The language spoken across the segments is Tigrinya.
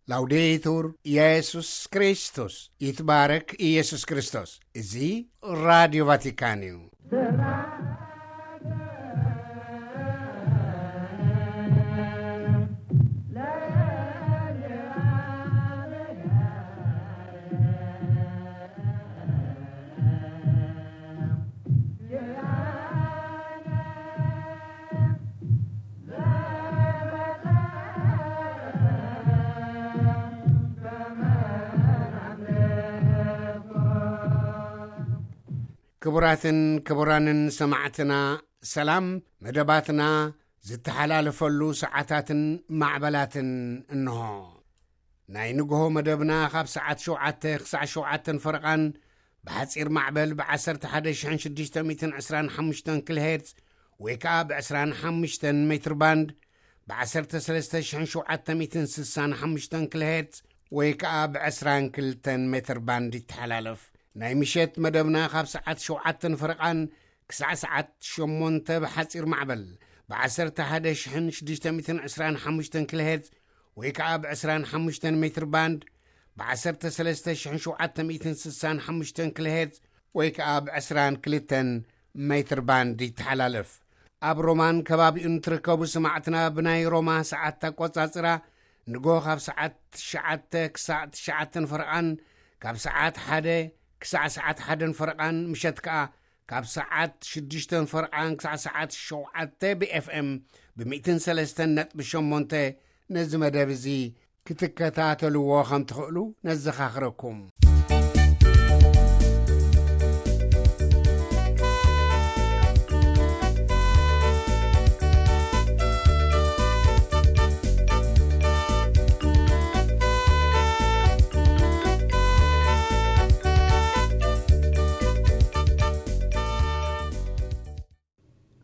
ላውዴቱር ኢየሱስ ክርስቶስ፣ ይትባረክ ኢየሱስ ክርስቶስ። እዚ ራዲዮ ቫቲካን እዩ። ክቡራትን ክቡራንን ሰማዕትና፣ ሰላም። መደባትና ዝተሓላለፈሉ ሰዓታትን ማዕበላትን እንሆ። ናይ ንግሆ መደብና ካብ ሰዓት ሸውዓተ ክሳዕ ሸውዓተን ፈረቓን፣ ብሓጺር ማዕበል ብ11,625 ኪሎ ሄርዝ ወይ ከኣ ብ25 ሜትር ባንድ፣ ብ13,765 ኪሎ ሄርዝ ወይ ከኣ ብ22 ሜትር ባንድ ይተሓላለፍ። ናይ ምሸት መደብና ካብ ሰዓት ሸውዓተን ፈረቓን ክሳዕ ሰዓት ሸሞንተ ብሓጺር ማዕበል ብ11,625 ኪሎ ሄርዝ ወይ ከኣ ብ25 ሜትር ባንድ፣ ብ13,765 ኪሎ ሄርዝ ወይ ከኣ ብ22 ሜትር ባንድ ይተሓላለፍ። ኣብ ሮማን ከባቢኡን ትርከቡ ሰማዕትና፣ ብናይ ሮማ ሰዓት ኣቆጻጽራ ንጎ ካብ ሰዓት ትሽዓተ ክሳዕ ትሽዓተን ፈረቓን፣ ካብ ሰዓት ሓደ ክሳዕ ሰዓት ሓደን ፈረቓን፣ ምሸት ከኣ ካብ ሰዓት ሽዱሽተን ፈረቓን ክሳዕ ሰዓት ሸውዓተ ብ ኤፍ ኤም ብ103.8 ነዚ መደብ እዚ ክትከታተልዎ ከም ትኽእሉ ነዘኻኽረኩም።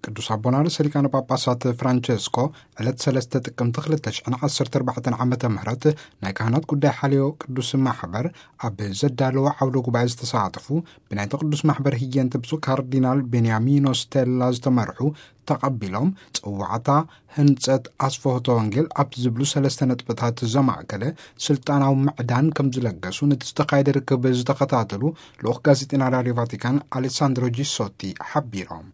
ቅዱስ ኣቦና ርእሰ ሊቃነ ጳጳሳት ፍራንቸስኮ ዕለት ሰለስተ ጥቅምቲ ክልተ ሽሕን ዓሰርተ ኣርባዕተን ዓመተ ምህረት ናይ ካህናት ጉዳይ ሓልዮ ቅዱስ ማሕበር ኣብ ዘዳለዎ ዓውደ ጉባኤ ዝተሳተፉ ብናይቲ ቅዱስ ማሕበር ህየንቲ ብፁዕ ካርዲናል ቤንያሚኖ ስቴላ ዝተመርሑ ተቐቢሎም፣ ጽዋዕታ ህንጸት ኣስፍሆተ ወንጌል ኣብ ዝብሉ ሰለስተ ነጥብታት ዘማእከለ ስልጣናዊ ምዕዳን ከም ዝለገሱ ነቲ ዝተኻየደ ርክብ ዝተኸታተሉ ልኡኽ ጋዜጠኛ ራድዮ ቫቲካን ኣሌሳንድሮ ጂሶቲ ሓቢሮም።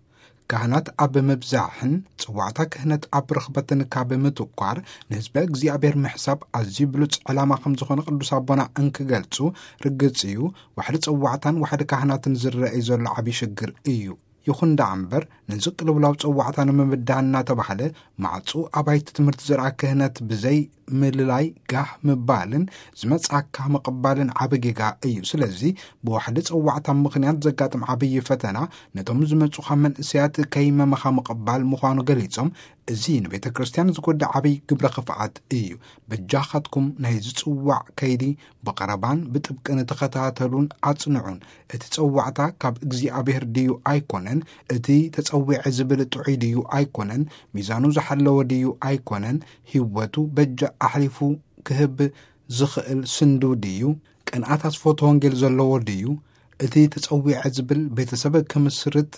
ካህናት ኣብ ምብዛሕን ጽዋዕታ ክህነት ኣብ ርኽበትን ካብ ምትኳር ንህዝበ እግዚኣብሔር ምሕሳብ ኣዝዩ ብሉጽ ዕላማ ከም ዝኾነ ቅዱስ ኣቦና እንክገልጹ ርግጽ እዩ። ዋሕዲ ጽዋዕታን ዋሕዲ ካህናትን ዝረኣይ ዘሎ ዓብዪ ሽግር እዩ። ይኹን ደኣ እምበር፣ ነዚ ቅልውላው ጽዋዕታ ንምብዳህ እናተባህለ፣ ማዕጹ ኣባይቲ ትምህርቲ ዝረኣ ክህነት ብዘይ ምልላይ ጋህ ምባልን ዝመጽኣካ ምቕባልን ዓቢ ጌጋ እዩ። ስለዚ፣ ብዋሕዲ ጽዋዕታ ምኽንያት ዘጋጥም ዓብዪ ፈተና፣ ነቶም ዝመጹኻ መንእሰያት ከይመመኻ ምቕባል ምዃኑ ገሊጾም፣ እዚ ንቤተ ክርስቲያን ዝጎድእ ዓብዪ ግብረ ክፍኣት እዩ። በጃኻትኩም ናይ ዝጽዋዕ ከይዲ ብቐረባን ብጥብቅን ተኸታተሉን ኣጽንዑን። እቲ ጸዋዕታ ካብ እግዚኣብሔር ድዩ ኣይኮነን? እቲ ተጸዊዐ ዝብል ጥዑይ ድዩ ኣይኮነን? ሚዛኑ ዝሓለወ ድዩ ኣይኮነን? ህይወቱ በጃ ኣሕሊፉ ክህብ ዝኽእል ስንዱ ድዩ? ቅንኣት ኣስፎቶ ወንጌል ዘለዎ ድዩ? እቲ ተጸዊዐ ዝብል ቤተሰብ ክምስርት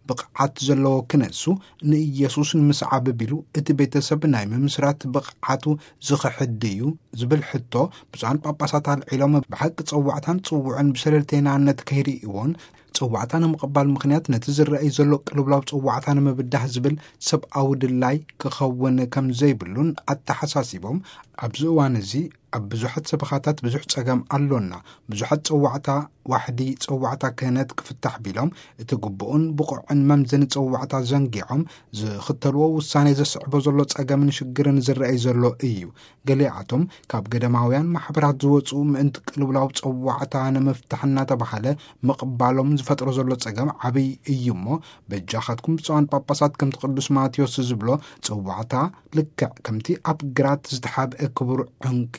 ብቕዓት ዘለዎ ክነሱ፣ ንኢየሱስ ንምስዓብ ቢሉ እቲ ቤተሰብ ናይ ምምስራት ብቕዓቱ ዝኽሕድ ድዩ? ዝብል ሕቶ ብፁዓን ጳጳሳት ኣልዒሎም፣ ብሓቂ ጸዋዕታን ጽውዑን ብሸለልተይናነት ከይርእይዎን፣ ጸዋዕታ ንምቕባል ምኽንያት ነቲ ዝረኣይ ዘሎ ቅልውላው ጸዋዕታ ንምብዳህ ዝብል ሰብኣዊ ድላይ ክኸውን ከም ዘይብሉን ኣተሓሳሲቦም፣ ኣብዚ እዋን እዚ ኣብ ብዙሓት ሰበኻታት ብዙሕ ጸገም ኣሎና። ብዙሓት ጸዋዕታ ዋሕዲ ጸዋዕታ ክህነት ክፍታሕ ቢሎም፣ እቲ ግቡእን ብቑዕን መምዘኒ ጸዋዕታ ዘንጊዖም ዝኽተልዎ ውሳኔ ዘስዕቦ ዘሎ ጸገምን ሽግርን ዝረኣይ ዘሎ እዩ። ገሊኣቶም ካብ ገዳማውያን ማሕበራት ዝወጹ ምእንቲ ቅልውላው ጸዋዕታ ንምፍታሕ እናተባህለ ምቕባሎም ዝፈጥሮ ዘሎ ጸገም ዓብይ እዩ እሞ፣ በጃኻትኩም ብፁዓን ጳጳሳት ከምቲ ቅዱስ ማቴዎስ ዝብሎ ጸዋዕታ ልክዕ ከምቲ ኣብ ግራት ዝተሓብአ ክቡር ዕንቂ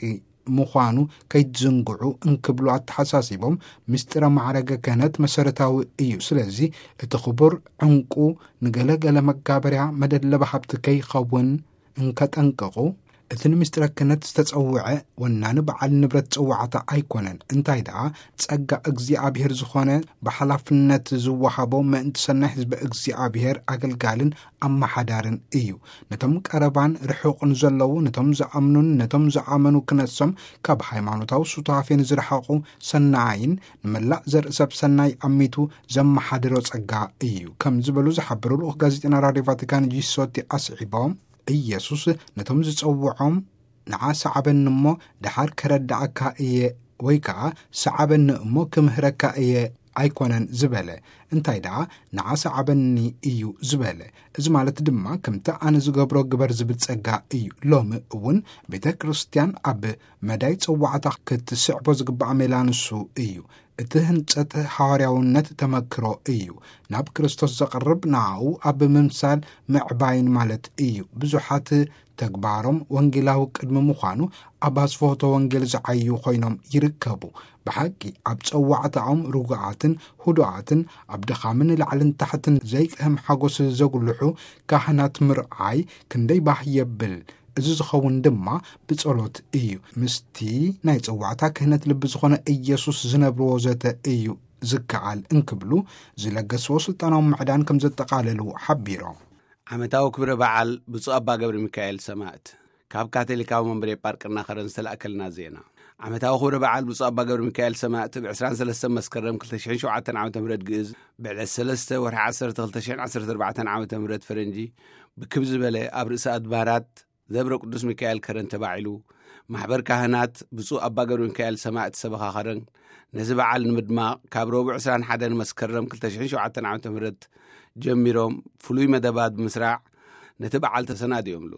ምዃኑ ከይትዝንግዑ እንክብሉ ኣተሓሳሲቦም፣ ምስጢረ ማዕረገ ክህነት መሰረታዊ እዩ። ስለዚ እቲ ክቡር ዕንቁ ንገለ ገለ መጋበርያ መደለቢ ሃብቲ ከይኸውን እንከጠንቅቑ፣ እቲ ንምስጢረ ክህነት ዝተጸውዐ ወናኒ በዓል ንብረት ጽዋዕታ ኣይኮነን። እንታይ ደኣ፣ ጸጋ እግዚኣብሔር ዝኾነ ብሓላፍነት ዝወሃቦ ምእንቲ ሰናይ ህዝቢ እግዚኣብሔር ኣገልጋልን ኣመሓዳርን እዩ። ነቶም ቀረባን ርሑቕን ዘለዉ፣ ነቶም ዝኣምኑን ነቶም ዝኣመኑ ክነሶም፣ ካብ ሃይማኖታዊ ሱታፌን ዝረሓቑ ሰናይን፣ ንመላእ ዘርኢ ሰብ ሰናይ ኣሚቱ ዘመሓድሮ ጸጋ እዩ፣ ከም ዝበሉ ዝሓበሩ ልኡኽ ጋዜጠና ራድዮ ቫቲካን ጂሶቲ ኣስዒቦም፣ ኢየሱስ ነቶም ዝጸውዖም፣ "ንዓ ሰዓበኒ እሞ ደሓር ከረድኣካ እየ" ወይ ከኣ "ሰዓበኒ እሞ ክምህረካ እየ" ኣይኮነን ዝበለ። እንታይ ደኣ፣ "ንዓ ሰዓበኒ" እዩ ዝበለ። እዚ ማለት ድማ፣ "ከምቲ ኣነ ዝገብሮ ግበር" ዝብል ጸጋ እዩ። ሎሚ እውን ቤተ ክርስቲያን ኣብ መዳይ ጸዋዕታ ክትስዕቦ ዝግባእ ሜላ ንሱ እዩ። እቲ ህንጸት ሃዋርያውነት ተመክሮ እዩ። ናብ ክርስቶስ ዘቕርብ ንኣኡ ኣብ ምምሳል ምዕባይን ማለት እዩ። ብዙሓት ተግባሮም ወንጌላዊ ቅድሚ ምዃኑ፣ ኣብ ኣስፍሆተ ወንጌል ዝዓዩ ኮይኖም ይርከቡ። ብሓቂ ኣብ ጸዋዕታኦም ርጉኣትን ህዱኣትን፣ ኣብ ድኻምን ላዕልን ታሕትን ዘይቅህም ሓጎስ ዘጉልሑ ካህናት ምርዓይ ክንደይ ባህ የብል። እዚ ዝኸውን ድማ ብጸሎት እዩ። ምስቲ ናይ ጸዋዕታ ክህነት ልቢ ዝኾነ ኢየሱስ ዝነብርዎ ዘተ እዩ ዝከኣል እንክብሉ፣ ዝለገስዎ ስልጣናዊ ምዕዳን ከም ዘጠቓለሉ ሓቢሮም። ዓመታዊ ክብረ በዓል ብፁዕ ኣባ ገብረ ሚካኤል ሰማእት፣ ካብ ካቶሊካዊ መንበረ ጳርቅና ከረን ዝተላእከልና ዜና። ዓመታዊ ክብረ በዓል ብፁዕ ኣባ ገብረ ሚካኤል ሰማእት ብ ዕስራን ሰለስተን መስከረም ክልተ ሽሕን ሸውዓተን ዓመተ ምህረት ግእዝ፣ ብዕለት ሰለስተ ወርሒ ዓሰርተ ክልተ ሽሕን ዓሰርተ ኣርባዕተን ዓመተ ምህረት ፈረንጂ፣ ብክብ ዝበለ ኣብ ርእሰ ኣድባራት ደብረ ቅዱስ ሚካኤል ከረን ተባዒሉ፣ ማሕበር ካህናት ብፁዕ ኣባ ገብረ ሚካኤል ሰማእት ሰበኻ ከረን፣ ነዚ በዓል ንምድማቕ፣ ካብ ረቡዕ ዕስራን ሓደን መስከረም ክልተ ሽሕን ሸውዓተን ዓመተ ምህረት ጀሚሮም፣ ፍሉይ መደባት ብምስራዕ፣ ነቲ በዓል ተሰናዲዮምሉ።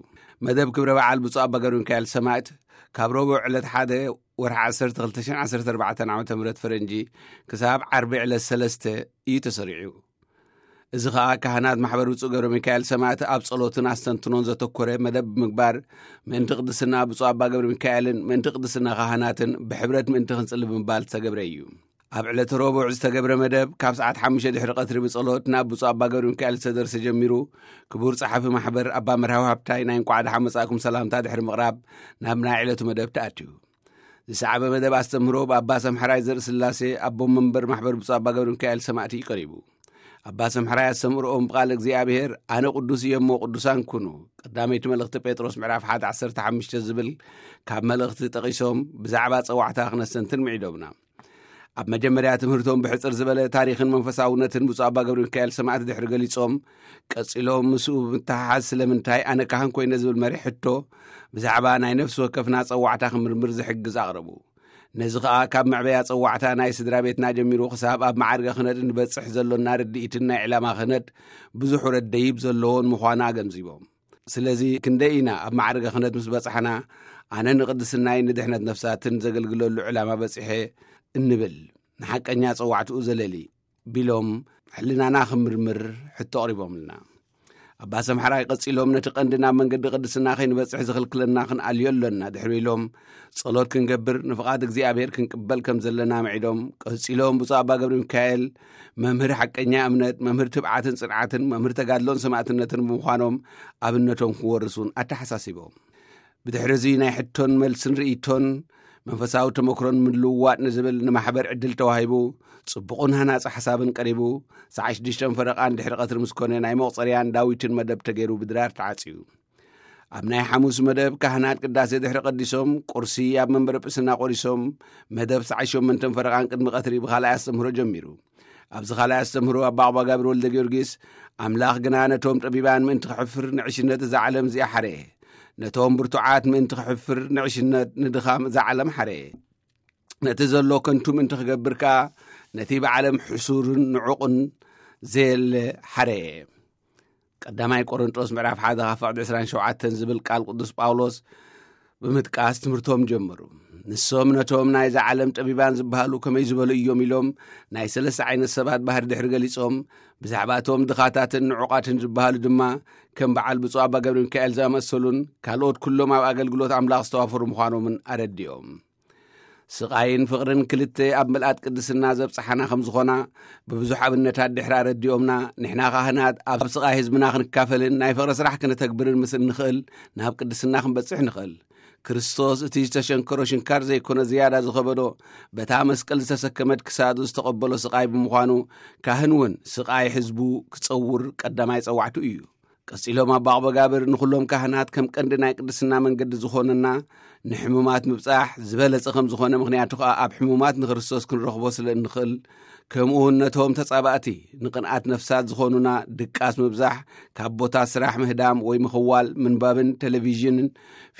መደብ ክብረ በዓል ብፁዕ ኣባ ገብረ ሚካኤል ሰማእት፣ ካብ ረቡዕ ዕለት ሓደ ወርሒ ዓሰርተ ክልተ ሽሕን ዓሰርተ ኣርባዕተን ዓመተ ምህረት ፈረንጂ፣ ክሳብ ዓርቢ ዕለት ሰለስተ እዩ ተሰሪዑ። እዚ ኸኣ፣ ካህናት ማሕበር ብፁዕ ገብረ ሚካኤል ሰማእት ኣብ ጸሎትን ኣስተንትኖን ዘተኮረ መደብ ብምግባር፣ ምእንቲ ቅድስና ብፁዕ ኣባ ገብረ ሚካኤልን ምእንቲ ቅድስና ካህናትን ብሕብረት ምእንቲ ክንጽሊ ብምባል ዝተገብረ እዩ። ኣብ ዕለተ ረቡዕ ዝተገብረ መደብ፣ ካብ ሰዓት ሓሙሽተ ድሕሪ ቀትሪ ብጸሎት ናብ ብፁዕ ኣባ ገብረ ሚካኤል ዝተደርሰ ጀሚሩ፣ ክቡር ጸሓፊ ማሕበር ኣባ መርሃዊ ሃብታይ ናይ እንቋዕ ደሓን መጻእኩም ሰላምታ ድሕሪ ምቕራብ፣ ናብ ናይ ዕለቱ መደብ ተኣትዩ። ዝሰዓበ መደብ ኣስተምህሮ ብኣባ ሰምሐራይ ዘርእስላሴ፣ ኣቦ መንበር ማሕበር ብፁዕ ኣባ ገብረ ሚካኤል ሰማእቲ እዩ ቀሪቡ። ኣባ ሰምሐራይ ኣስተምህሮኦም ብቓል እግዚኣብሔር፣ "ኣነ ቅዱስ እየ እሞ ቅዱሳን ኩኑ፣ ቀዳመይቲ መልእኽቲ ጴጥሮስ ምዕራፍ ሓደ ዓሰርተ ሓሙሽተ" ዝብል ካብ መልእኽቲ ጠቒሶም፣ ብዛዕባ ጸዋዕታ ክነስተንትን ምዒዶምና። ኣብ መጀመርያ ትምህርቶም ብሕጽር ዝበለ ታሪኽን መንፈሳውነትን ብፁዕ ኣባ ገብረ ሚካኤል ሰማእቲ ድሕሪ ገሊጾም፣ ቀጺሎም ምስኡ ብምትሕሓዝ "ስለምንታይ ኣነ ካህን ኮይነ?" ዝብል መሪሕ ሕቶ ብዛዕባ ናይ ነፍሲ ወከፍና ጸዋዕታ ክምርምር ዝሕግዝ ኣቕረቡ። ነዚ ኸኣ ካብ መዕበያ ጸዋዕታ ናይ ስድራ ቤትና ጀሚሩ ክሳብ ኣብ መዓርገ ክህነት እንበጽሕ ዘሎና ርድኢትን ናይ ዕላማ ክህነት ብዙሕ ውረድ ደይብ ዘሎዎን ምዃና ኣገንዚቦም። ስለዚ ክንደይ ኢና ኣብ መዓርገ ክህነት ምስ በጻሕና፣ "ኣነ ንቅድስናይ ንድሕነት ነፍሳትን ዘገልግለሉ ዕላማ በጺሐ" እንብል፣ ንሓቀኛ ጸዋዕትኡ ዘለሊ ቢሎም ሕልናና ክምርምር ሕቶ ኣቕሪቦምልና። ኣባ ሰምሓራይ ቀጺሎም፣ "ነቲ ቀንዲ ናብ መንገዲ ቅድስና ከይንበጽሕ ዝኽልክለና ክንኣልዮ ኣሎና" ድሕሪ ኢሎም፣ ጸሎት ክንገብር፣ ንፍቓድ እግዚኣብሔር ክንቅበል ከም ዘለና ምዒዶም፣ ቀጺሎም ብፁዕ ኣባ ገብረ ሚካኤል፣ መምህር ሓቀኛ እምነት፣ መምህር ትብዓትን ጽንዓትን፣ መምህር ተጋድሎን ሰማእትነትን ብምዃኖም፣ ኣብነቶም ክወርሱን ኣተሓሳሲቦም። ብድሕሪ እዚ ናይ ሕቶን መልስን ርእይቶን መንፈሳዊ ተመክሮን ምልውዋጥ ንዝብል ንማሕበር ዕድል ተዋሂቡ፣ ጽቡቕን ሃናጺ ሓሳብን ቀሪቡ፣ ሰዓት ሽዱሽተ ፈረቓን ድሕሪ ቀትሪ ምስ ኮነ ናይ መቑጸርያን ዳዊትን መደብ ተገይሩ ብድራር ተዓጽዩ። ኣብ ናይ ሓሙስ መደብ ካህናት ቅዳሴ ድሕሪ ቀዲሶም፣ ቁርሲ ኣብ መንበረ ጵስና ቆሪሶም፣ መደብ ሰዓት ሸሞንተ ፈረቓን ቅድሚ ቀትሪ ብኻልኣይ ኣስተምህሮ ጀሚሩ። ኣብዚ ካልኣይ ኣስተምህሮ ኣባ ኣባ ጋብር ወልደ ጊዮርጊስ፣ "ኣምላኽ ግና ነቶም ጠቢባን ምእንቲ ክሕፍር ንዕሽነት እዛ ዓለም እዚኣ ሓረየ። ነቶም ብርቱዓት ምእንቲ ክሕፍር ንዕሽነት ንድኻም እዛ ዓለም ሓረየ። ነቲ ዘሎ ከንቱ ምእንቲ ክገብር ከኣ ነቲ ብዓለም ሕሱርን ንዑቕን ዘየለ ሓረየ።" ቀዳማይ ቆሮንጦስ ምዕራፍ ሓደ ካብ ፍቕዲ ዕስራን ሸውዓተን ዝብል ቃል ቅዱስ ጳውሎስ ብምጥቃስ ትምህርቶም ጀመሩ። ንሶም ነቶም ናይዛ ዓለም ጠቢባን ዝበሃሉ ከመይ ዝበሉ እዮም ኢሎም ናይ ሰለስተ ዓይነት ሰባት ባህሪ ድሕሪ ገሊጾም፣ ብዛዕባ እቶም ድኻታትን ንዑቓትን ዝበሃሉ ድማ ከም በዓል ብፁዕ ኣባ ገብረ ሚካኤል ዝኣመሰሉን ካልኦት ኩሎም ኣብ ኣገልግሎት ኣምላኽ ዝተዋፈሩ ምዃኖምን ኣረዲኦም። ስቓይን ፍቕርን ክልተ ኣብ ምልኣት ቅድስና ዘብጽሓና ከም ዝኾና ብብዙሕ ኣብነታት ድሕሪ ኣረዲኦምና፣ ንሕና ካህናት ኣብ ስቓይ ህዝብና ክንካፈልን ናይ ፍቕሪ ስራሕ ክነተግብርን ምስ እንኽእል ናብ ቅድስና ክንበጽሕ ንኽእል። ክርስቶስ እቲ ዝተሸንከሮ ሽንካር ዘይኮነ ዝያዳ ዝኸበዶ፣ በታ መስቀል ዝተሰከመት ክሳዱ ዝተቐበሎ ስቓይ ብምዃኑ፣ ካህን እውን ስቓይ ሕዝቡ ክጸውር ቀዳማይ ጸዋዕቱ እዩ። ቀጺሎም ኣባ ኣቕበጋብር ንኹሎም ካህናት ከም ቀንዲ ናይ ቅድስና መንገዲ ዝኾነና ንሕሙማት ምብጻሕ ዝበለጸ ከም ዝኾነ፣ ምኽንያቱ ከኣ ኣብ ሕሙማት ንክርስቶስ ክንረኽቦ ስለ እንኽእል፣ ከምኡ እውን ነቶም ተጻባእቲ ንቕንኣት ነፍሳት ዝኾኑና ድቃስ ምብዛሕ፣ ካብ ቦታ ስራሕ ምህዳም ወይ ምኽዋል፣ ምንባብን ቴሌቪዥንን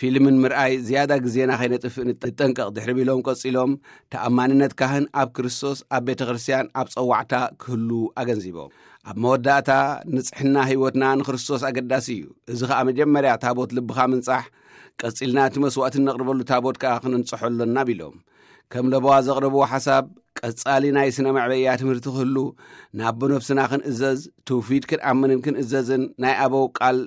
ፊልምን ምርኣይ ዝያዳ ግዜና ከይነጥፍእ ንጠንቀቕ ድሕሪ ቢሎም ቀጺሎም፣ ተኣማንነት ካህን ኣብ ክርስቶስ ኣብ ቤተ ክርስቲያን ኣብ ጸዋዕታ ክህሉ ኣገንዚቦም። ኣብ መወዳእታ ንጽሕና ህይወትና ንክርስቶስ ኣገዳሲ እዩ። እዚ ኸኣ መጀመርያ ታቦት ልብኻ ምንጻሕ፣ ቀጺልና እቲ መስዋእቲ እነቕርበሉ ታቦት ከኣ ክነንጽሖ ኣሎና ቢሎም። ከም ለበዋ ዘቕረብዎ ሓሳብ፣ ቀጻሊ ናይ ስነ መዕበያ ትምህርቲ ክህሉ፣ ናብ ብነፍስና ክንእዘዝ፣ ትውፊት ክንኣምንን ክንእዘዝን፣ ናይ ኣበው ቃል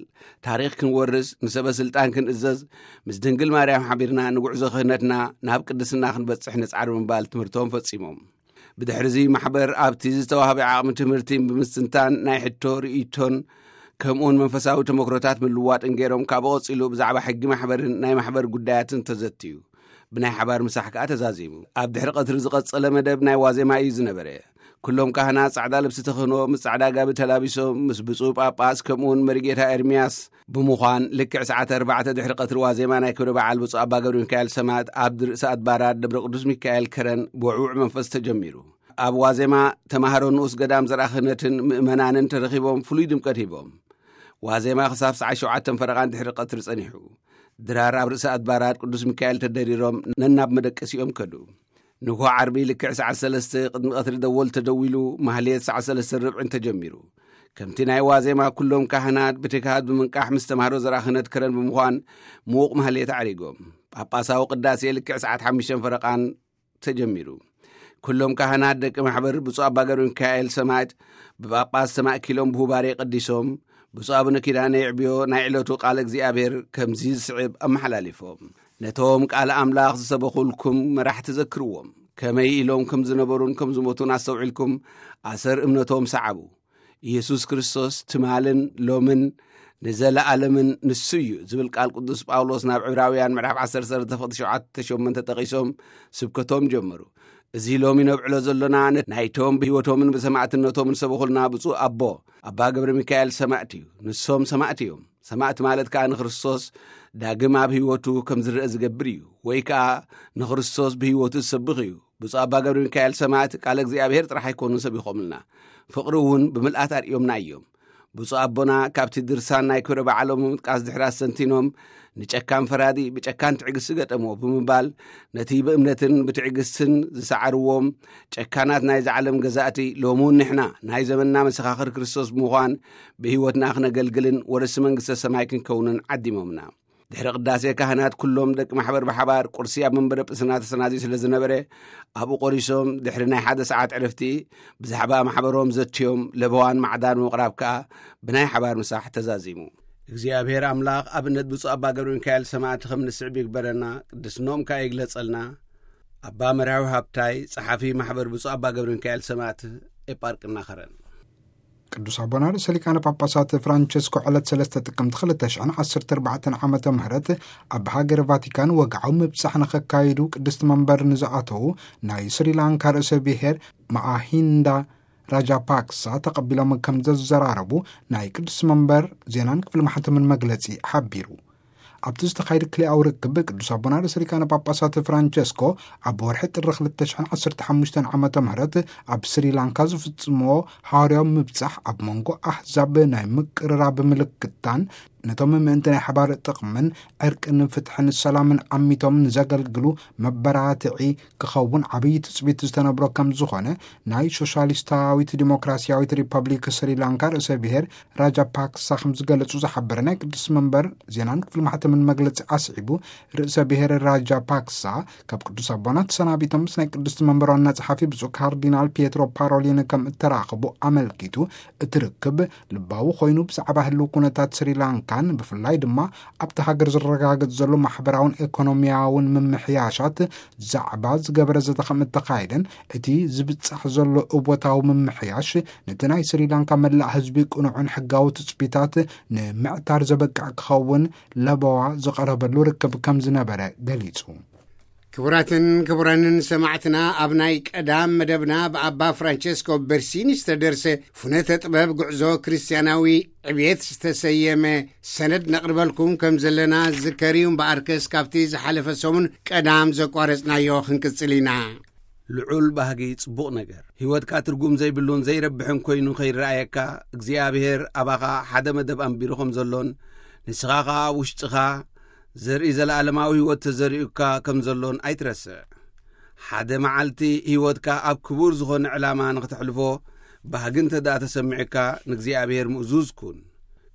ታሪኽ ክንወርስ፣ ንሰበ ስልጣን ክንእዘዝ፣ ምስ ድንግል ማርያም ሓቢርና ንጉዕዞ ክህነትና ናብ ቅድስና ክንበጽሕ ንጻዕር ብምባል ትምህርቶም ፈጺሞም። ብድሕርዚ ማሕበር ኣብቲ ዝተዋህበ ዓቕሚ ትምህርቲ ብምስትንታን ናይ ሕቶ ርእይቶን ከምኡውን መንፈሳዊ ተመክሮታት ምልዋጥን ገይሮም፣ ካብኡ ቀጺሉ ብዛዕባ ሕጊ ማሕበርን ናይ ማሕበር ጉዳያትን ተዘትዩ። ብናይ ሓባር ምሳሕ ከኣ ተዛዚሙ። ኣብ ድሕሪ ቀትሪ ዝቐጸለ መደብ ናይ ዋዜማ እዩ ዝነበረ። ኩሎም ካህናት ጻዕዳ ልብሲ ተኽህኖ ምስ ጻዕዳ ጋቢ ተላቢሶም ምስ ብፁዕ ጳጳስ ከምኡውን መሪጌታ ኤርምያስ ብምዃን፣ ልክዕ ሰዓት ኣርባዕተ ድሕሪ ቀትሪ ዋዜማ ናይ ክብረ በዓል ብፁዕ ኣባ ገብረ ሚካኤል ሰማዕት ኣብ ርእሰ ኣድባራት ደብረ ቅዱስ ሚካኤል ከረን ብውዕውዕ መንፈስ ተጀሚሩ። ኣብ ዋዜማ ተማሃሮ ንኡስ ገዳም ዘርኣ ክህነትን ምእመናንን ተረኺቦም ፍሉይ ድምቀት ሂቦም። ዋዜማ ክሳብ ሰዓት ሸውዓተ ፈረቓን ድሕሪ ቀትሪ ጸኒሑ። ድራር ኣብ ርእሰ ኣድባራት ቅዱስ ሚካኤል ተደሪሮም ነናብ መደቀሲኦም ከዱ። ንግሆ ዓርቢ ልክዕ ሰዓት ሰለስተ ቅድሚ ቀትሪ ደወል ተደዊሉ፣ ማህሌት ሰዓት ሰለስተ ርብዕን ተጀሚሩ። ከምቲ ናይ ዋዜማ ኩሎም ካህናት ብትግሃት ብምንቃሕ ምስ ተማሃሮ ዘርኣ ክህነት ከረን ብምዃን ምዉቕ ማህሌት ኣዕሪጎም። ጳጳሳዊ ቅዳሴ ልክዕ ሰዓት ሓሙሽተ ፈረቓን ተጀሚሩ። ኩሎም ካህናት ደቂ ማሕበር ብፁዕ ኣባ ገብረ ሚካኤል ሰማዕት ብጳጳስ ተማእኪሎም ብሁባሬ ቀዲሶም፣ ብፁዕ ኣቡነ ኪዳነ የዕብዮ ናይ ዕለቱ ቃለ እግዚኣብሔር ከምዚ ዝስዕብ ኣመሓላሊፎም። ነቶም ቃል ኣምላኽ ዝሰበኹልኩም መራሕቲ ዘክርዎም፣ ከመይ ኢሎም ከም ዝነበሩን ከም ዝሞቱን ኣስተውዒልኩም ኣሰር እምነቶም ሰዓቡ። ኢየሱስ ክርስቶስ ትማልን ሎምን ንዘለኣለምን ንሱ እዩ ዝብል ቃል ቅዱስ ጳውሎስ ናብ ዕብራውያን ምዕራፍ ዓሰርተ ፍቕዲ ሸውዓተ ሸሞንተ ጠቒሶም ስብከቶም ጀመሩ። እዚ ሎሚ ነብዕሎ ዘሎና ነ-፣ ናይቶም ብህይወቶምን ብሰማዕትነቶምን ሰበኹልና ብፁዕ ኣቦ ኣባ ገብረ ሚካኤል ሰማዕት እዩ። ንሶም ሰማዕት እዮም። ሰማዕት ማለት ከኣ ንክርስቶስ ዳግም ኣብ ህይወቱ ከም ዝረአ ዝገብር እዩ፣ ወይ ከኣ ንክርስቶስ ብህይወቱ ዝሰብኽ እዩ። ብፁዕ ኣባ ገብረ ሚካኤል ሰማዕት ቃለ እግዚኣብሔር ጥራሕ ኣይኮኑን ሰቢኾምልና፣ ፍቕሪ እውን ብምልኣት ኣርእዮምና እዮም። ብፁዕ ኣቦና ካብቲ ድርሳን ናይ ክብረ በዓሎም ምጥቃስ ድሕሪ ኣስተንቲኖም፣ ንጨካን ፈራዲ ብጨካን ትዕግስቲ ገጠሞ ብምባል፣ ነቲ ብእምነትን ብትዕግስትን ዝሰዓርዎም ጨካናት ናይዚ ዓለም ገዛእቲ፣ ሎሚ እውን ንሕና ናይ ዘመንና መሰኻኽር ክርስቶስ ብምዃን ብህይወትና ክነገልግልን ወረሲ መንግስተ ሰማይ ክንከውንን ዓዲሞምና። ድሕሪ ቅዳሴ ካህናት ኩሎም ደቂ ማሕበር ብሓባር ቁርሲ ኣብ መንበረ ጵስና ተሰናድዩ ስለ ዝነበረ፣ ኣብኡ ቆሪሶም ድሕሪ ናይ ሓደ ሰዓት ዕረፍቲ ብዛዕባ ማሕበሮም ዘትዮም ለበዋን ማዕዳን ምቕራብ ከኣ ብናይ ሓባር ምሳሕ ተዛዚሙ። እግዚኣብሔር ኣምላኽ ኣብነት ብፁዕ ኣባ ገብረ ሚካኤል ሰማዕቲ ከም ንስዕብ ይግበረና፣ ቅድስኖም ከኣ ይግለጸልና። ኣባ መርሃዊ ሃብታይ፣ ጸሓፊ ማሕበር ብፁዕ ኣባ ገብረ ሚካኤል ሰማዕቲ ኤጳርቅና ከረን። ቅዱስ ኣቦና ርእሰ ሊቃነ ጳጳሳት ፍራንቸስኮ ዕለት ሰለስተ ጥቅምቲ ክልተ ሽሕን ዓሰርተ ኣርባዕተን ዓመተ ምህረት ኣብ ሃገረ ቫቲካን ወግዓዊ ምብጻሕ ንኸካይዱ ቅድስቲ መንበር ንዝኣተዉ ናይ ስሪላንካ ርእሰ ብሔር ማኣሂንዳ ራጃፓክሳ ተቐቢሎም ከም ዘዘራረቡ ናይ ቅድስቲ መንበር ዜናን ክፍሊ ማሕተምን መግለጺ ሓቢሩ። ኣብቲ ዝተኻየደ ክልኣዊ ርክብ ቅዱስ ኣቦና ርእሰ ሊቃነ ጳጳሳት ፍራንቸስኮ ኣብ ወርሒ ጥሪ ክልተ ሽሕን ዓሰርተ ሓሙሽተን ዓመተ ምህረት ኣብ ስሪላንካ ዝፍጽምዎ ሃዋርያዊ ምብጻሕ ኣብ መንጎ ኣህዛብ ናይ ምቅርራብ ምልክታን ነቶም ምእንቲ ናይ ሓባር ጥቕምን ዕርቅን ፍትሕን ሰላምን ኣሚቶም ንዘገልግሉ መበራትዒ ክኸውን ዓብዪ ትጽቢት ዝተነብሮ ከም ዝኾነ ናይ ሶሻሊስታዊት ዲሞክራሲያዊት ሪፐብሊክ ስሪላንካ ርእሰ ብሔር ራጃ ፓክሳ ከም ዝገለጹ ዝሓበረ ናይ ቅዱስ መንበር ዜናን ክፍሊ ማሕተምን መግለጺ ኣስዒቡ፣ ርእሰ ብሔር ራጃ ፓክሳ ካብ ቅዱስ ኣቦና ተሰናቢቶም ምስ ናይ ቅዱስ መንበር ዋና ጸሓፊ ብፁዕ ካርዲናል ፒየትሮ ፓሮሊን ከም እተራኸቡ ኣመልኪቱ፣ እቲ ርክብ ልባዊ ኮይኑ ብዛዕባ ህልው ኩነታት ስሪላንካ ኣን ብፍላይ ድማ ኣብቲ ሃገር ዝረጋገጽ ዘሎ ማሕበራውን ኤኮኖሚያውን ምምሕያሻት ዛዕባ ዝገበረ ዘተ ከም እተኻየደን፣ እቲ ዝብጻሕ ዘሎ እወታዊ ምምሕያሽ ነቲ ናይ ስሪላንካ መላእ ህዝቢ ቅኑዕን ሕጋዊ ትጽቢታት ንምዕታር ዘበቅዕ ክኸውን ለበዋ ዝቐረበሉ ርክብ ከም ዝነበረ ገሊጹ። ክቡራትን ክቡራንን ሰማዕትና፣ ኣብ ናይ ቀዳም መደብና ብኣባ ፍራንቸስኮ በርሲኒ ዝተደርሰ ፍኖተ ጥበብ ጉዕዞ ክርስትያናዊ ዕብየት ዝተሰየመ ሰነድ ነቕርበልኩም ከም ዘለና ዝከር እዩ። እምበኣርከስ ካብቲ ዝሓለፈ ሰሙን ቀዳም ዘቋረጽናዮ ክንቅጽል ኢና። ልዑል ባህጊ ጽቡቕ ነገር። ህይወትካ ትርጉም ዘይብሉን ዘይረብሕን ኮይኑ ከይረኣየካ፣ እግዚኣብሔር ኣባኻ ሓደ መደብ ኣንቢሩ ከም ዘሎን ንስኻ ኸኣ ኣብ ውሽጥኻ ዘርኢ ዘለኣለማዊ ህይወት ተዘሪኡካ ከም ዘሎን ኣይትረስዕ። ሓደ መዓልቲ ህይወትካ ኣብ ክቡር ዝኾነ ዕላማ ንኽተሕልፎ ባህጊ እንተ ደኣ ተሰሚዑካ፣ ንእግዚኣብሔር ምእዙዝ ኩን።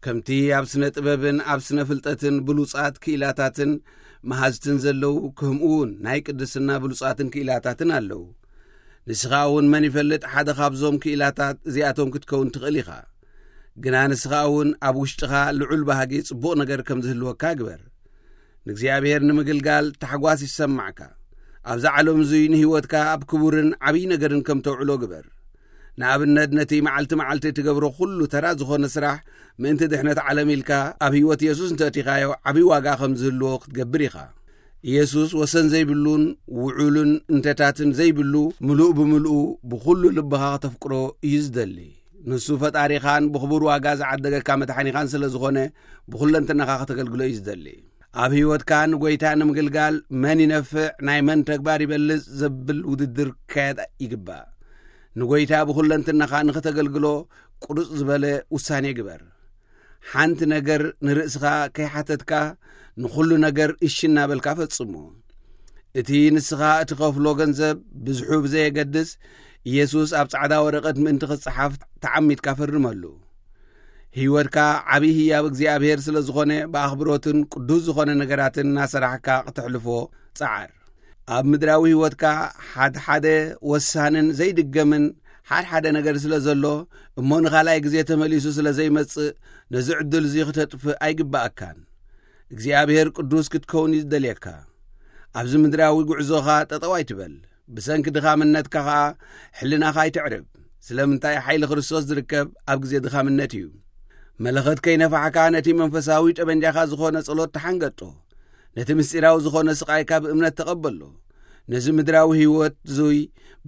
ከምቲ ኣብ ስነ ጥበብን ኣብ ስነ ፍልጠትን ብሉጻት ክኢላታትን መሃዝትን ዘለዉ፣ ከምኡ እውን ናይ ቅድስና ብሉጻትን ክኢላታትን ኣለዉ። ንስኻ እውን መን ይፈልጥ፣ ሓደ ካብዞም ክኢላታት እዚኣቶም ክትከውን ትኽእል ኢኻ። ግና ንስኻ እውን ኣብ ውሽጥኻ ልዑል ባህጊ ጽቡቕ ነገር ከም ዝህልወካ ግበር። ንእግዚኣብሔር ንምግልጋል ታሕጓስ ይሰማዕካ። ኣብዛ ዓለም እዙይ ንህይወትካ ኣብ ክቡርን ዓብዪ ነገርን ከም ተውዕሎ ግበር። ንኣብነት፣ ነቲ መዓልቲ መዓልቲ እትገብሮ ኩሉ ተራ ዝኾነ ስራሕ፣ ምእንቲ ድሕነት ዓለም ኢልካ ኣብ ህይወት የሱስ እንተእቲኻዮ፣ ዓብዪ ዋጋ ከም ዝህልዎ ክትገብር ኢኻ። ኢየሱስ ወሰን ዘይብሉን ውዑልን እንተታትን ዘይብሉ፣ ምሉእ ብምሉኡ ብኹሉ ልብኻ ከተፍቅሮ እዩ ዝደሊ። ንሱ ፈጣሪኻን ብኽቡር ዋጋ ዝዓደገካ መድሓኒኻን ስለ ዝኾነ፣ ብኹለንትናኻ ከተገልግሎ እዩ ዝደሊ። ኣብ ህይወትካ ንጎይታ ንምግልጋል መን ይነፍዕ፣ ናይ መን ተግባር ይበልጽ ዘብል ውድድር ክካየድ ይግባእ። ንጎይታ ብኹለንትናኻ ንኽተገልግሎ ቁርጽ ዝበለ ውሳኔ ግበር። ሓንቲ ነገር ንርእስኻ ከይሓተትካ ንኹሉ ነገር እሺ እናበልካ ፈጽሞ። እቲ ንስኻ እትኸፍሎ ገንዘብ ብዝሑ ብዘየገድስ፣ ኢየሱስ ኣብ ጻዕዳ ወረቐት ምእንቲ ክጸሓፍ ተዓሚትካ ፈርመሉ። ህይወትካ ዓብዪ ህያብ እግዚኣብሔር ስለ ዝኾነ፣ ብኣኽብሮትን ቅዱስ ዝኾነ ነገራትን እናሰራሕካ ክተሕልፎ ጸዓር። ኣብ ምድራዊ ህይወትካ ሓድሓደ ወሳንን ዘይድገምን ሓድሓደ ነገር ስለ ዘሎ፣ እሞ ንኻልኣይ ግዜ ተመሊሱ ስለ ዘይመጽእ፣ ነዚ ዕድል እዚ ክተጥፍእ ኣይግባኣካን። እግዚኣብሔር ቅዱስ ክትከውን እዩ ዝደልየካ። ኣብዚ ምድራዊ ጉዕዞኻ ጠጠው ኣይትበል። ብሰንኪ ድኻምነትካ ኸኣ ሕልናኻ ኣይተዕርብ። ስለምንታይ? ሓይሊ ክርስቶስ ዝርከብ ኣብ ግዜ ድኻምነት እዩ። መለኸት ከይነፋሕካ፣ ነቲ መንፈሳዊ ጠበንጃኻ ዝኾነ ጸሎት ተሓንገጦ። ነቲ ምስጢራዊ ዝኾነ ስቓይካ ብእምነት ተቐበሎ። ነዚ ምድራዊ ህይወት እዙይ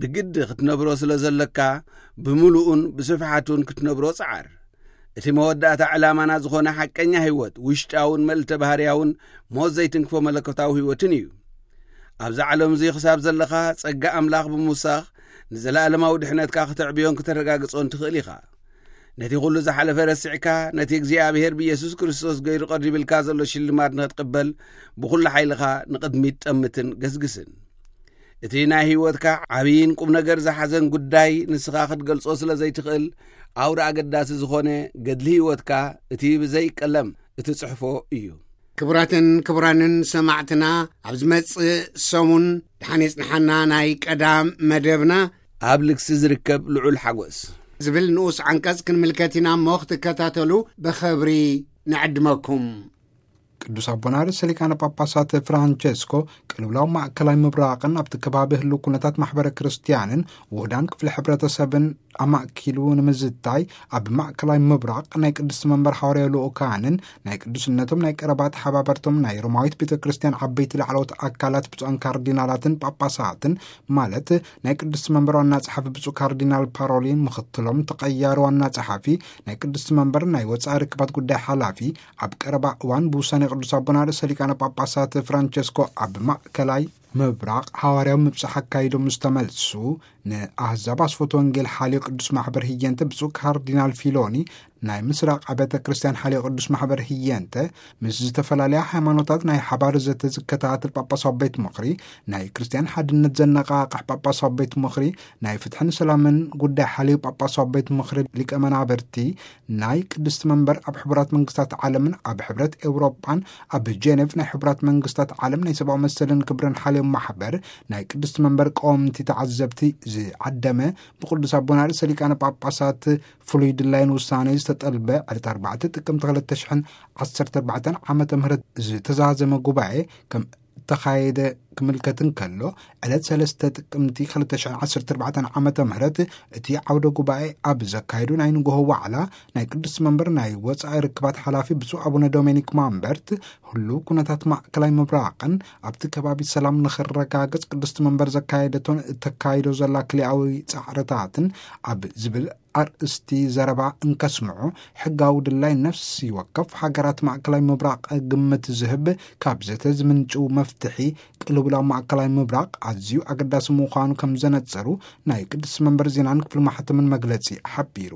ብግዲ ክትነብሮ ስለ ዘለካ፣ ብምሉኡን ብስፍሓቱን ክትነብሮ ጸዓር። እቲ መወዳእታ ዕላማና ዝኾነ ሓቀኛ ህይወት፣ ውሽጣውን መልእተ ባህርያውን ሞት ዘይትንክፎ መለኮታዊ ህይወትን እዩ። ኣብዛ ዓለም እዙይ ክሳብ ዘለኻ፣ ጸጋ ኣምላኽ ብምውሳኽ፣ ንዘለኣለማዊ ድሕነትካ ክተዕብዮን ክተረጋግጾን ትኽእል ኢኻ። ነቲ ኹሉ ዝሓለፈ ረሲዕካ፣ ነቲ እግዚኣብሔር ብኢየሱስ ክርስቶስ ገይሩ ቀሪብልካ ዘሎ ሽልማት ንኽትቅበል፣ ብኹሉ ሓይልኻ ንቕድሚት ጠምትን ገስግስን። እቲ ናይ ህይወትካ ዓብይን ቁም ነገር ዝሓዘን ጉዳይ ንስኻ ክትገልጾ ስለ ዘይትኽእል፣ ኣውራ ኣገዳሲ ዝኾነ ገድሊ ህይወትካ፣ እቲ ብዘይ ቀለም እትጽሕፎ እዩ። ክቡራትን ክቡራንን ሰማዕትና፣ ኣብ ዝመጽእ ሰሙን ደሓን የጽንሓና ናይ ቀዳም መደብና። ኣብ ልግሲ ዝርከብ ልዑል ሓጎስ ዝብል ንኡስ ዓንቀጽ ክንምልከት ኢና እሞ፣ ክትከታተሉ ብኽብሪ ንዕድመኩም። ቅዱስ ኣቦና ርእሰ ሊቃነ ጳጳሳት ፍራንቸስኮ፣ ቅልውላው ማእከላይ ምብራቕን ኣብቲ ከባቢ ህልው ኩነታት ማሕበረ ክርስትያንን ውህዳን ክፍሊ ሕብረተሰብን ኣማእኪሉ ንምዝታይ፣ ኣብ ማእከላይ ምብራቕ ናይ ቅድስቲ መንበር ሓዋርያዊ ልኡካንን ናይ ቅዱስነቶም ናይ ቀረባ ተሓባበርቶም ናይ ሮማዊት ቤተ ክርስትያን ዓበይቲ ላዕለዎት ኣካላት ብፁዓን ካርዲናላትን ጳጳሳትን፣ ማለት ናይ ቅድስቲ መንበር ዋና ጸሓፊ ብፁዕ ካርዲናል ፓሮሊን፣ ምኽትሎም ተቐያሪ ዋና ጸሓፊ፣ ናይ ቅድስቲ መንበር ናይ ወጻኢ ርክባት ጉዳይ ሓላፊ፣ ኣብ ቀረባ እዋን ብውሳኔ ቅዱስ ኣቦና ርእሰ ሊቃነ ጳጳሳት ፍራንቸስኮ ኣብ ማእከላይ ምብራቕ ሓዋርያዊ ምብጻሕ ኣካይዶም ምስ ተመልሱ፣ ንኣህዛብ ኣስፈት ወንጌል ሓልዮ ቅዱስ ማሕበር ህየንተ ብፁዕ ካርዲናል ፊሎኒ፣ ናይ ምስራቕ ኣብያተ ክርስቲያን ሓልዮ ቅዱስ ማሕበር ህየንተ፣ ምስ ዝተፈላለያ ሃይማኖታት ናይ ሓባር ዘተ ዝከታተል ጳጳሳዊ ቤት ምኽሪ፣ ናይ ክርስቲያን ሓድነት ዘነቓቕሕ ጳጳሳዊ ቤት ምኽሪ፣ ናይ ፍትሕን ሰላምን ጉዳይ ሓልዮ ጳጳሳዊ ቤት ምኽሪ ሊቀ መናብርቲ፣ ናይ ቅድስቲ መንበር ኣብ ሕቡራት መንግስታት ዓለምን ኣብ ሕብረት ኤውሮጳን ኣብ ጀኔቭ ናይ ሕቡራት መንግስታት ዓለም ናይ ሰብኣዊ መሰልን ክብርን ሓልዮም ማሕበር ናይ ቅድስቲ መንበር ቀወምቲ ተዓዘብቲ ዝዓደመ ብቅዱስ ኣቦና ርእሰ ሊቃነ ጳጳሳት ፍሉይ ድላይን ውሳኔ ጠልበ ዕለት ኣርባዕተ ጥቅምቲ ክልተ ሽሕን ዓሰርተ ኣርባዕተን ዓመተ ምህረት ዝተዛዘመ ጉባኤ ከም እተኻየደ ክምልከት እንከሎ፣ ዕለት ሰለስተ ጥቅምቲ ክልተ ሽሕን ዓሰርተ ኣርባዕተን ዓመተ ምህረት እቲ ዓውደ ጉባኤ ኣብ ዘካየዱ ናይ ንግሆ ዋዕላ፣ ናይ ቅዱስ መንበር ናይ ወጻኢ ርክባት ሓላፊ ብፁዕ ኣቡነ ዶሜኒክ ማምበርት፣ ህሉው ኩነታት ማእከላይ ምብራቕን ኣብቲ ከባቢ ሰላም ንኽረጋገጽ ቅድስቲ መንበር ዘካየደቶን እተካይዶ ዘላ ክልኣዊ ጻዕርታትን ኣብ ዝብል ኣርእስቲ ዘረባ እንከስምዑ፣ ሕጋዊ ድላይ ነፍሲ ወከፍ ሃገራት ማእከላይ ምብራቕ ግምት ዝህብ፣ ካብ ዘተ ዝምንጭው መፍትሒ ቅልውላው ማእከላይ ምብራቕ ኣዝዩ ኣገዳሲ ምዃኑ ከም ዘነጸሩ ናይ ቅድስቲ መንበር ዜናን ክፍሊ ማሕተምን መግለጺ ሓቢሩ።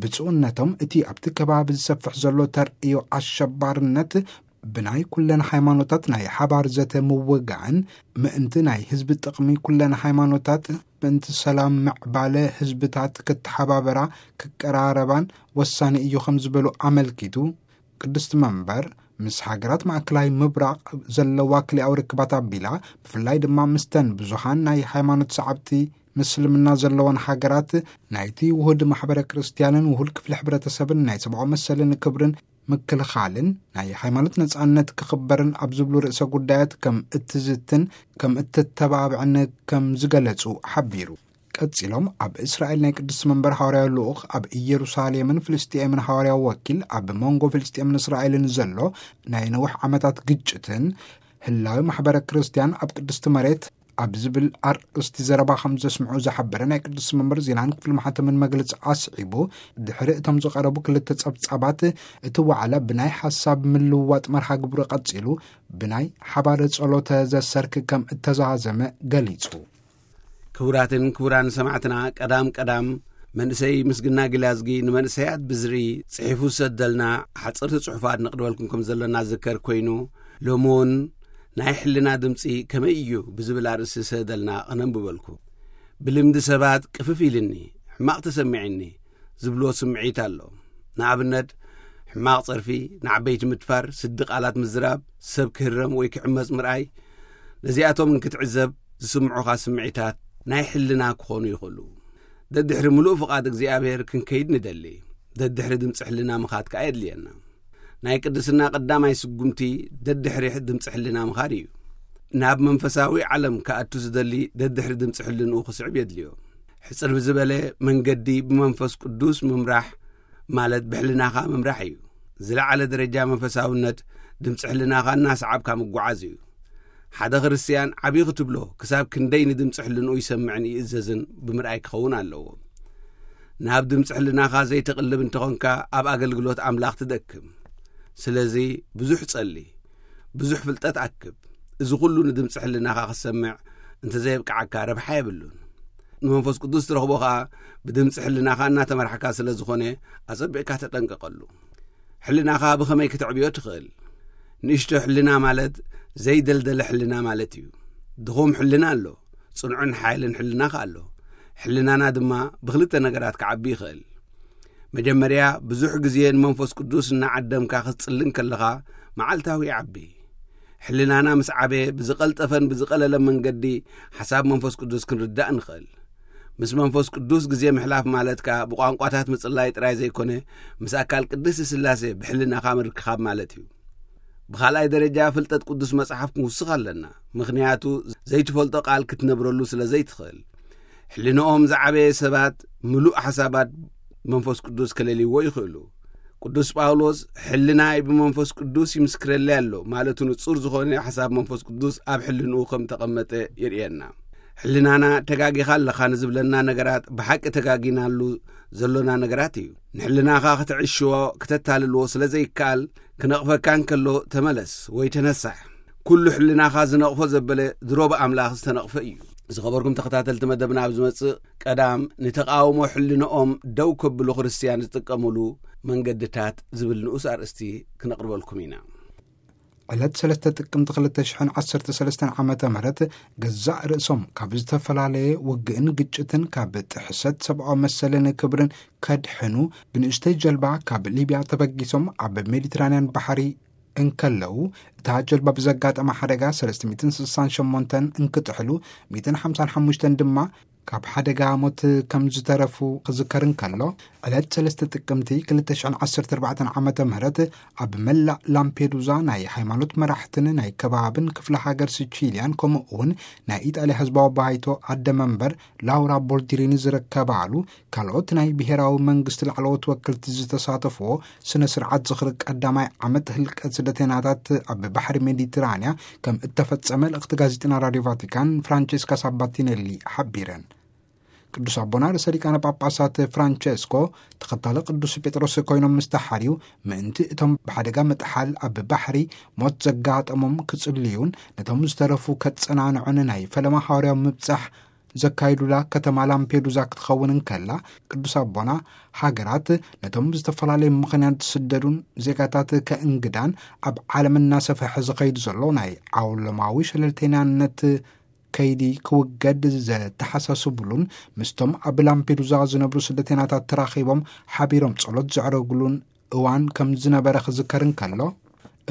ብፁዕነቶም እቲ ኣብቲ ከባቢ ዝሰፍሕ ዘሎ ተርእዮ ኣሸባርነት ብናይ ኩለን ሃይማኖታት ናይ ሓባር ዘተ ምውጋእን ምእንቲ ናይ ህዝቢ ጥቕሚ ኩለን ሃይማኖታት ምእንቲ ሰላም ምዕባለ ህዝብታት ክተሓባበራ ክቀራረባን ወሳኒ እዩ ከም ዝበሉ ኣመልኪቱ፣ ቅድስቲ መንበር ምስ ሃገራት ማእከላይ ምብራቕ ዘለዋ ክልኣዊ ርክባት ኣቢላ፣ ብፍላይ ድማ ምስተን ብዙሃን ናይ ሃይማኖት ሰዓብቲ ምስልምና ዘለወን ሃገራት ናይቲ ውሁድ ማሕበረ ክርስትያንን ውሁድ ክፍሊ ሕብረተሰብን ናይ ሰብኣዊ መሰልን ክብርን ምክልኻልን ናይ ሃይማኖት ነጻነት ክኽበርን ኣብ ዝብሉ ርእሰ ጉዳያት ከም እትዝትን ከም እትተባብዕን ከም ዝገለጹ ሓቢሩ። ቀጺሎም ኣብ እስራኤል ናይ ቅድስቲ መንበር ሃዋርያዊ ልኡኽ ኣብ ኢየሩሳሌምን ፍልስጤምን ሃዋርያዊ ወኪል ኣብ መንጎ ፍልስጤምን እስራኤልን ዘሎ ናይ ነዊሕ ዓመታት ግጭትን ህላዊ ማሕበረ ክርስትያን ኣብ ቅድስቲ መሬት ኣብ ዝብል ኣርእስቲ ዘረባ ከም ዘስምዑ ዝሓበረ ናይ ቅድስቲ መንበር ዜናን ክፍሊ ማሕተምን መግለጺ ኣስዒቡ፣ ድሕሪ እቶም ዝቐረቡ ክልተ ጸብጻባት እቲ ዋዕላ ብናይ ሓሳብ ምልውዋጥ መርሃ ግብሩ ቀጺሉ ብናይ ሓባር ጸሎተ ዘሰርክ ከም እተዛዘመ ገሊጹ። ክቡራትን ክቡራን ሰማዕትና፣ ቀዳም ቀዳም መንእሰይ ምስግና ግላዝጊ ንመንእሰያት ብዝሪ ጽሒፉ ዝሰደልና ሓጸርቲ ጽሑፋት ነቕርበልኩም ከም ዘለና ዝዝከር ኮይኑ፣ ሎሚ እውን ናይ ሕልና ድምጺ ከመይ እዩ ብዝብል ኣርእስቲ ዝሰደልና ከነንብበልኩም። ብልምዲ ሰባት ቅፍፍ ኢልኒ፣ ሕማቕ ተሰሚዕኒ ዝብልዎ ስምዒት ኣሎ። ንኣብነት፣ ሕማቕ ጸርፊ፣ ንዓበይቲ ምድፋር፣ ስዲ ቃላት ምዝራብ፣ ሰብ ክህረም ወይ ክዕመጽ ምርኣይ፣ ነዚኣቶም እንክትዕዘብ ዝስምዑኻ ስምዒታት ናይ ሕልና ክኾኑ ይኽእሉ። ደድሕሪ ምሉእ ፍቓድ እግዚኣብሔር ክንከይድ ንደሊ። ደድሕሪ ድምፂ ሕልና ምኻድ ከኣ የድልየና። ናይ ቅድስና ቀዳማይ ስጉምቲ ደድሕሪ ድምፂ ሕልና ምኻድ እዩ። ናብ መንፈሳዊ ዓለም ክኣቱ ዝደሊ ደድሕሪ ድምፂ ሕልንኡ ክስዕብ የድልዮ። ሕፅር ብዝበለ መንገዲ ብመንፈስ ቅዱስ ምምራሕ ማለት ብሕልናኻ ምምራሕ እዩ። ዝለዓለ ደረጃ መንፈሳውነት ድምፂ ሕልናኻ እናሰዓብካ ምጓዓዝ እዩ። ሓደ ክርስትያን ዓብዪ ክትብሎ ክሳብ ክንደይ ንድምፂ ሕልንኡ ይሰምዕን ይእዘዝን ብምርኣይ ክኸውን ኣለዎ። ናብ ድምፂ ሕልናኻ ዘይተቕልብ እንተኾንካ ኣብ ኣገልግሎት ኣምላኽ ትደክም። ስለዚ ብዙሕ ጸሊ፣ ብዙሕ ፍልጠት ኣክብ። እዚ ኩሉ ንድምፂ ሕልናኻ ክትሰምዕ እንተዘየብቅዓካ ረብሓ የብሉን። ንመንፈስ ቅዱስ ትረኽቦ ኸኣ ብድምፂ ሕልናኻ እናተመራሕካ ስለ ዝኾነ ኣጸቢቕካ ተጠንቀቐሉ። ሕልናኻ ብኸመይ ክተዕብዮ ትኽእል? ንእሽቶ ሕልና ማለት ዘይደልደለ ሕልና ማለት እዩ። ድኹም ሕልና ኣሎ፣ ጽኑዕን ሓያልን ሕልና ከኣ ኣሎ። ሕልናና ድማ ብኽልተ ነገራት ክዓቢ ይኽእል። መጀመርያ ብዙሕ ግዜ ንመንፈስ ቅዱስ እናዓደምካ ክትጽሊ እንከለኻ መዓልታዊ ይዓቢ። ሕልናና ምስ ዓበየ ብዝቐልጠፈን ብዝቐለለ መንገዲ ሓሳብ መንፈስ ቅዱስ ክንርዳእ ንኽእል። ምስ መንፈስ ቅዱስ ግዜ ምሕላፍ ማለት ከኣ ብቋንቋታት ምጽላይ ጥራይ ዘይኮነ፣ ምስ ኣካል ቅድስቲ ስላሴ ብሕልናኻ ምርክኻብ ማለት እዩ። ብኻልኣይ ደረጃ ፍልጠት ቅዱስ መጽሓፍ ክንውስኽ ኣለና። ምኽንያቱ ዘይትፈልጦ ቃል ክትነብረሉ ስለ ዘይትኽእል። ሕልንኦም ዝዓበየ ሰባት ምሉእ ሓሳባት መንፈስ ቅዱስ ከለልይዎ ይኽእሉ። ቅዱስ ጳውሎስ ሕልናይ ብመንፈስ ቅዱስ ይምስክረለይ ኣሎ ማለቱ ንጹር ዝኾነ ሓሳብ መንፈስ ቅዱስ ኣብ ሕልንኡ ከም ተቐመጠ የርእየና። ሕልናና ተጋጊኻ ኣለኻ ንዝብለና ነገራት ብሓቂ ተጋጊናሉ ዘሎና ነገራት እዩ። ንሕልናኻ ክትዕሽዎ ክተታልልዎ ስለ ዘይከኣል ክነቕፈካ እንከሎ ተመለስ ወይ ተነሳሕ። ኩሉ ሕልናኻ ዝነቕፎ ዘበለ ድሮ ብኣምላኽ ዝተነቕፈ እዩ። ዝኸበርኩም ተኸታተልቲ መደብና ኣብ ዝመጽእ ቀዳም ንተቓውሞ ሕልንኦም ደው ከብሉ ክርስትያን ዝጥቀሙሉ መንገድታት ዝብል ንኡስ ኣርእስቲ ክነቕርበልኩም ኢና። ዕለት ሰለስተ ጥቅምቲ ክልተ ሽሕን ዓሰርተ ሰለስተን ዓመተ ምህረት ገዛእ ርእሶም ካብ ዝተፈላለየ ውግእን ግጭትን ካብ ጥሕሰት ሰብኣዊ መሰልን ክብርን ከድሕኑ ብንእሽተይ ጀልባ ካብ ሊብያ ተበጊሶም ኣብ ሜዲትራንያን ባሕሪ እንከለዉ፣ እታ ጀልባ ብዘጋጠመ ሓደጋ ሰለስተ ሚእትን ስሳን ሸሞንተን እንክጥሕሉ፣ ሚእትን ሓምሳን ሓሙሽተን ድማ ካብ ሓደጋ ሞት ከም ዝተረፉ ክዝከር እንከሎ፣ ዕለት ሰለስተ ጥቅምቲ ክልተ ሽሕን ዓሰርተ ኣርባዕተን ዓመተ ምህረት ኣብ መላእ ላምፔዱዛ ናይ ሃይማኖት መራሕትን ናይ ከባብን ክፍለ ሃገር ሲቺልያን፣ ከምኡ እውን ናይ ኢጣልያ ህዝባዊ ባይቶ ኣደ መንበር ላውራ ቦልዲሪኒ ዝርከባሉ ካልኦት ናይ ብሔራዊ መንግስቲ ላዕለዎት ወክልቲ ዝተሳተፍዎ ስነ ስርዓት ዝኽሪ ቀዳማይ ዓመት ህልቀት ስደተኛታት ኣብ ባሕሪ ሜዲትራንያ ከም እተፈጸመ ልእኽቲ ጋዜጠና ራድዮ ቫቲካን ፍራንቼስካ ሳባቲኔሊ ሓቢረን። ቅዱስ ኣቦና ርእሰ ሊቃነ ጳጳሳት ፍራንቸስኮ ተኸታሊ ቅዱስ ጴጥሮስ ኮይኖም ምስ ተሓርዩ፣ ምእንቲ እቶም ብሓደጋ ምጥሓል ኣብ ባሕሪ ሞት ዘጋጠሞም ክጽልዩን ነቶም ዝተረፉ ከጸናንዑን ናይ ፈለማ ሃዋርያዊ ምብጻሕ ዘካይዱላ ከተማ ላምፔዱዛ ክትኸውን እንከላ፣ ቅዱስ ኣቦና ሃገራት ነቶም ብዝተፈላለየ ምኽንያት ዝስደዱን ዜጋታት ከእንግዳን ኣብ ዓለም እናሰፍሐ ዝኸይድ ዘሎ ናይ ዓውለማዊ ሸለልተኛነት ከይዲ ክውገድ ዘተሓሳስብሉን ምስቶም ኣብ ላምፔዱዛ ዝነብሩ ስደተኛታት ተራኺቦም ሓቢሮም ጸሎት ዘዕረጉሉን እዋን ከም ዝነበረ ክዝከር እንከሎ፣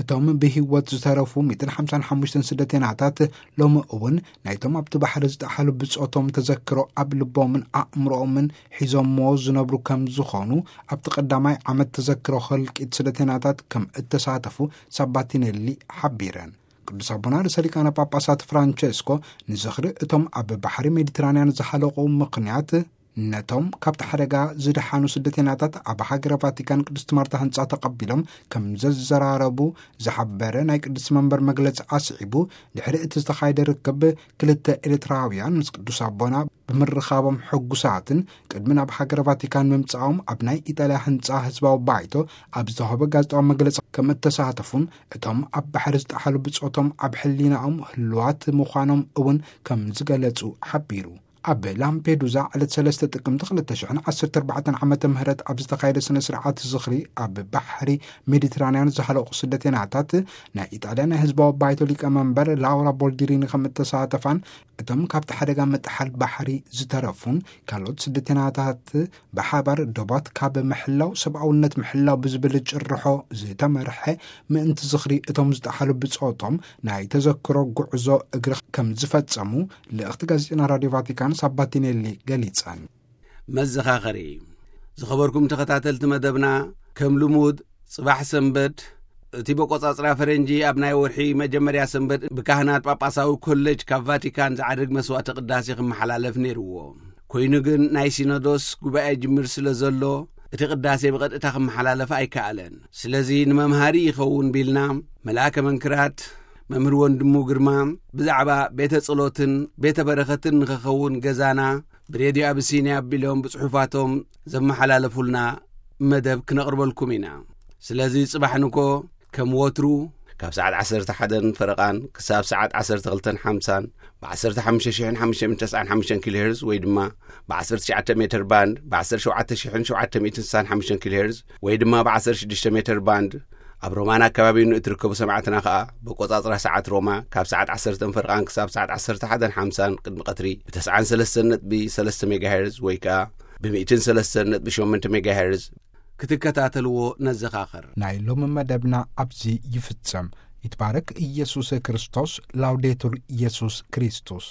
እቶም ብህይወት ዝተረፉ ሚእትን ሓምሳን ሓሙሽተን ስደተኛታት ሎሚ እውን ናይቶም ኣብቲ ባሕሪ ዝጠሓሉ ብጾቶም ተዘክሮ ኣብ ልቦምን ኣእምሮኦምን ሒዞምዎ ዝነብሩ ከም ዝኾኑ ኣብቲ ቀዳማይ ዓመት ተዘክሮ ህልቂት ስደተኛታት ከም እተሳተፉ ሳባቲኔሊ ሓቢረን። ቅዱስ ኣቦና ርእሰ ሊቃነ ጳጳሳት ፍራንቸስኮ ንዝኽሪ እቶም ኣብ ባሕሪ ሜዲትራንያን ዝሓለቑ ምኽንያት ነቶም ካብቲ ሓደጋ ዝደሓኑ ስደተኛታት ኣብ ሃገረ ቫቲካን ቅድስቲ ማርታ ህንጻ ተቐቢሎም ከም ዘዘራረቡ ዝሓበረ ናይ ቅድስቲ መንበር መግለጺ ኣስዒቡ፣ ድሕሪ እቲ ዝተኻየደ ርክብ ክልተ ኤርትራውያን ምስ ቅዱስ ኣቦና ብምርኻቦም ሕጉሳትን ቅድሚ ናብ ሃገረ ቫቲካን ምምጻኦም ኣብ ናይ ኢጣልያ ህንጻ ህዝባዊ ባይቶ ኣብ ዝተዋህበ ጋዜጣዊ መግለጺ ከም እተሳተፉን እቶም ኣብ ባሕሪ ዝጠሓሉ ብጾቶም ኣብ ሕሊናኦም ህልዋት ምዃኖም እውን ከም ዝገለጹ ሓቢሩ። ኣብ ላምፔዱዛ ዕለት ሰለስተ ጥቅምቲ ክልተ ሽሕን ዓሰርተ ኣርባዕተን ዓመተ ምህረት ኣብ ዝተኻየደ ስነ ስርዓት ዝኽሪ ኣብ ባሕሪ ሜዲትራንያን ዝሃለቑ ስደተኛታት ናይ ኢጣልያ ናይ ህዝባዊ ባይቶ ሊቀመንበር ላውራ ቦልዲሪኒ ከም እተሳተፋን እቶም ካብቲ ሓደጋ ምጥሓል ባሕሪ ዝተረፉን ካልኦት ስደተኛታት ብሓባር ዶባት ካብ ምሕላው ሰብኣውነት ምሕላው ብዝብል ጭርሖ ዝተመርሐ ምእንቲ ዝኽሪ እቶም ዝጠሓሉ ብጾቶም ናይ ተዘክሮ ጉዕዞ እግሪ ከም ዝፈጸሙ ልእኽቲ ጋዜጠና ራድዮ ቫቲካን ሳባቲኔሊ ገሊጸን። መዘኻኸሪ። ዝኸበርኩም ተኸታተልቲ መደብና፣ ከም ልሙድ ጽባሕ ሰንበት፣ እቲ በቆጻጽራ ፈረንጂ ኣብ ናይ ወርሒ መጀመርያ ሰንበት ብካህናት ጳጳሳዊ ኮሌጅ ካብ ቫቲካን ዝዓድግ መስዋዕተ ቅዳሴ ክመሓላለፍ ነይርዎ። ኮይኑ ግን ናይ ሲኖዶስ ጉባኤ ጅምር ስለ ዘሎ እቲ ቅዳሴ ብቐጥታ ክመሓላለፍ ኣይከኣለን። ስለዚ ንመምሃሪ ይኸውን ቢልና፣ መልኣከ መንክራት መምህር ወንድሙ ግርማ ብዛዕባ ቤተ ጸሎትን ቤተ በረኸትን ንኽኸውን ገዛና ብሬድዮ ኣቢሲንያ ኣቢሎም ብጽሑፋቶም ዘመሓላለፉልና መደብ ክነቕርበልኩም ኢና። ስለዚ ጽባሕ ንኮ ከም ወትሩ ካብ ሰዓት ዓሰርተ ሓደን ፈረቓን ክሳብ ሰዓት ዓሰርተ ክልተን ሓምሳን ብ ዓሰርተ ሓሙሽተ ሽሕን ሓሙሽተ ሚእትን ተስዓን ሓሙሽተን ኪሎ ሄርዝ ወይ ድማ ብ ዓሰርተ ትሽዓተ ሜትር ባንድ ብ ዓሰርተ ሸውዓተ ሽሕን ሸውዓተ ሚእትን ስሳን ሓሙሽተን ኪሎ ሄርዝ ወይ ድማ ብ ዓሰርተ ሽዱሽተ ሜትር ባንድ ኣብ ሮማን ኣከባቢን ንእትርከቡ ሰማዕትና ከኣ ብቆጻጽራ ሰዓት ሮማ ካብ ሰዓት ዓሰርተ ፈርቓን ክሳብ ሰዓት ዓሰርተ ሓደን ሓምሳን ቅድሚ ቀትሪ ብ ተስዓን ሰለስተን ነጥቢ ሰለስተ ሜጋሄርዝ ወይ ከኣ ብ ሚእትን ሰለስተን ነጥቢ ሸሞንተ ሜጋሄርዝ ክትከታተልዎ ነዘኻኽር። ናይ ሎሚ መደብና ኣብዚ ይፍጸም። ይትባረክ ኢየሱስ ክርስቶስ። ላውዴቱር ኢየሱስ ክርስቶስ።